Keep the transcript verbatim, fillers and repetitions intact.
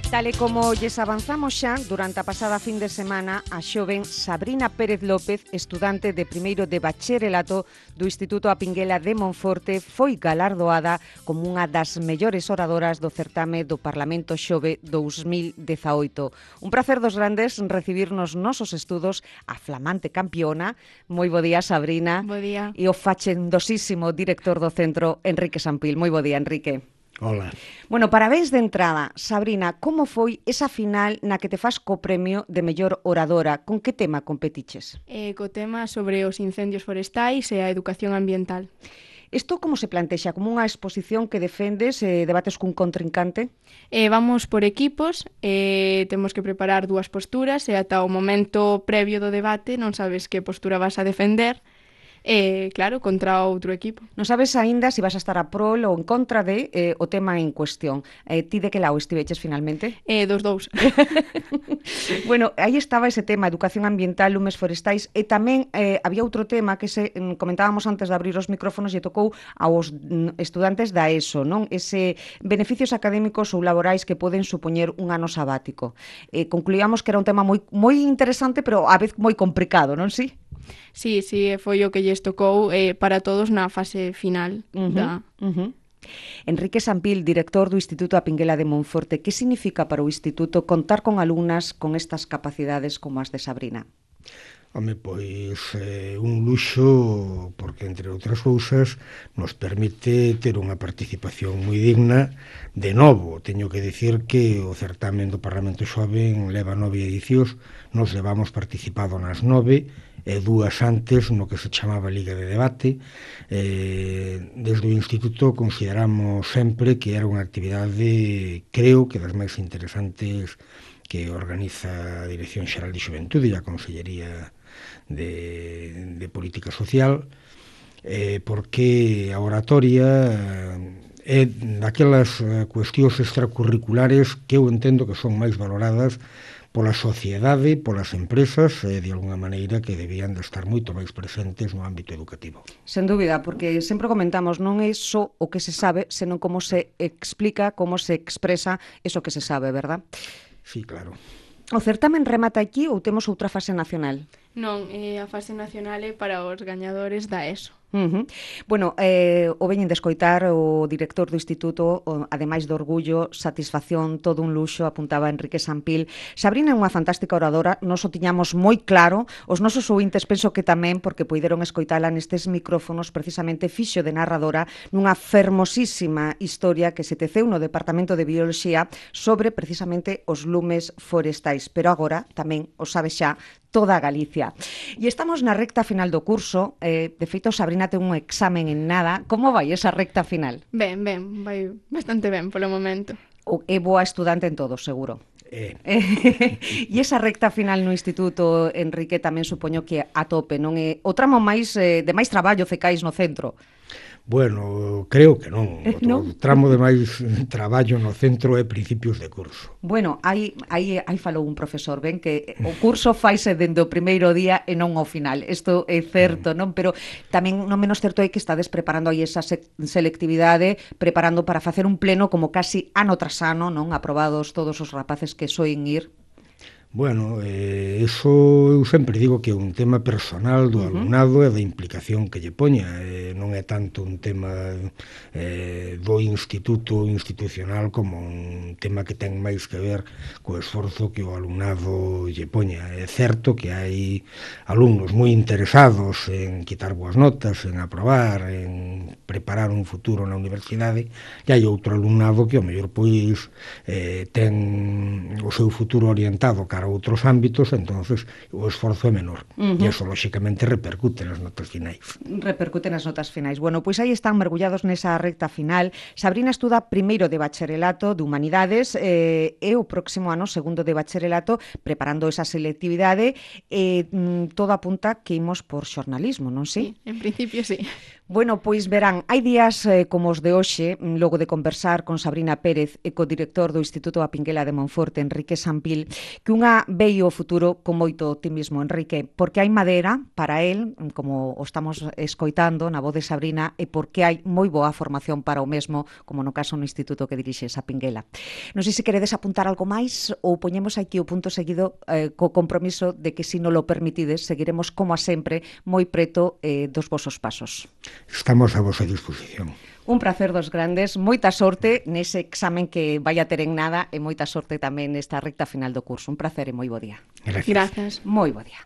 Tal e como lles avanzamos xa, durante a pasada fin de semana, a xoven Sabrina Pérez López, estudante de primeiro de bacharelato do Instituto A Pinguela de Monforte, foi galardoada como unha das mellores oradoras do certame do Parlamento Xove dous mil dezaoito. Un prazer dos grandes recibir nos nosos estudos a flamante campiona. Moi bo día, Sabrina. Bo día. E o facendosísimo director do centro, Enrique Sampil. Moi bo día, Enrique. Hola. Bueno, parabéns de entrada. Sabrina, como foi esa final na que te fas co premio de mellor oradora? Con que tema competiches? Eh, co tema sobre os incendios forestais e a educación ambiental. Isto como se plantexa? Como unha exposición que defendes e eh, debates cun contrincante? Eh, vamos por equipos, eh, temos que preparar dúas posturas e ata o momento previo do debate non sabes que postura vas a defender. Eh, claro, contra outro equipo. Non sabes aínda se vas a estar a prol ou en contra de eh, o tema en cuestión. Eh, ti de que lado estiveches finalmente? Eh, dos dous. Bueno, aí estaba ese tema, educación ambiental, lumes forestais, e tamén eh, había outro tema que se mm, comentábamos antes de abrir os micrófonos e tocou aos mm, estudantes da ESO, non? Ese beneficios académicos ou laborais que poden supoñer un ano sabático. Eh, concluíamos que era un tema moi moi interesante, pero a vez moi complicado, non si? Sí, sí, foi o que lles tocou eh, para todos na fase final. Uh-huh, da... uh-huh. Enrique Sampil, director do Instituto A Pinguela de Monforte, que significa para o Instituto contar con alumnas con estas capacidades como as de Sabrina? Home, pois eh, un luxo porque, entre outras cousas, nos permite ter unha participación moi digna. De novo, teño que dicir que o certamen do Parlamento Xoven leva nove edicións, nos levamos participado nas nove, e dúas antes no que se chamaba Liga de Debate. Eh, desde o Instituto consideramos sempre que era unha actividade, creo que das máis interesantes que organiza a Dirección Xeral de Xuventude e a Consellería de, de Política Social, eh, porque a oratoria é daquelas cuestións extracurriculares que eu entendo que son máis valoradas pola sociedade, polas empresas, e de alguna maneira que debían de estar moito máis presentes no ámbito educativo. Sen dúbida, porque sempre comentamos, non é só o que se sabe, senón como se explica, como se expresa eso que se sabe, verdad? Sí, claro. O certamen remata aquí ou temos outra fase nacional? Non, eh, a fase nacional é para os gañadores da ESO. Uh-huh. Bueno, eh, o veñen de escoitar o director do Instituto, o, ademais do orgullo, satisfacción, todo un luxo, apuntaba Enrique Sampil. Sabrina é unha fantástica oradora, nos o tiñamos moi claro, os nosos ouvintes penso que tamén, porque poideron escoitala nestes micrófonos, precisamente fixo de narradora nunha fermosísima historia que se teceu no Departamento de Bioloxía sobre precisamente os lumes forestais, pero agora tamén o sabe xa toda a Galicia. E estamos na recta final do curso, eh, de feito Sabrina ten un examen en nada. Como vai esa recta final? Ben, ben, vai bastante ben polo momento. O, é boa estudante en todo, seguro. Eh. E esa recta final no Instituto, Enrique, tamén supoño que a tope, non é o tramo máis eh, de máis traballo cecais no centro? Bueno, creo que non. O, ¿No? o tramo de máis traballo no centro é principios de curso. Bueno, aí, aí, aí falou un profesor, ben, que o curso faise dende o primeiro día e non ao final. Isto é certo, non? Pero tamén non menos certo é que estades preparando aí esa se selectividade, preparando para facer un pleno como casi ano tras ano, non? Aprobados todos os rapaces que soen ir. Bueno, eh, eso eu sempre digo que é un tema personal do alumnado e da implicación que lle poña, eh, non é tanto un tema eh, do instituto institucional como un tema que ten máis que ver co esforzo que o alumnado lle poña. É certo que hai alumnos moi interesados en quitar boas notas, en aprobar, en preparar un futuro na universidade, e hai outro alumnado que ao mellor pois eh, ten o seu futuro orientado cara a outros ámbitos, entonces o esforzo é menor. Uh-huh. E eso, lóxicamente, repercute nas notas finais. Repercute nas notas finais. Bueno, pois aí están mergullados nesa recta final. Sabrina estuda primeiro de bacharelato de Humanidades eh, e o próximo ano segundo de bacharelato preparando esa selectividade e eh, todo apunta que imos por xornalismo, non si? Sí, en principio sí. Bueno, pois verán, hai días eh, como os de hoxe, logo de conversar con Sabrina Pérez e co director do Instituto A Pinguela de Monforte, Enrique Sampil, que unha vei o futuro con moito optimismo, Enrique, porque hai madera para el, como o estamos escoitando na voz de Sabrina, e porque hai moi boa formación para o mesmo, como no caso no Instituto que dirixes, A Pinguela. Non sei se queredes apuntar algo máis ou poñemos aquí o punto seguido eh, co compromiso de que, se non lo permitides, seguiremos como a sempre moi preto eh, dos vosos pasos. Estamos a vosa disposición. Un placer dos grandes, moita sorte nese examen que vai a ter en nada e moita sorte tamén nesta recta final do curso. Un placer e moi bo día. Gracias. Grazas. Moi bo día.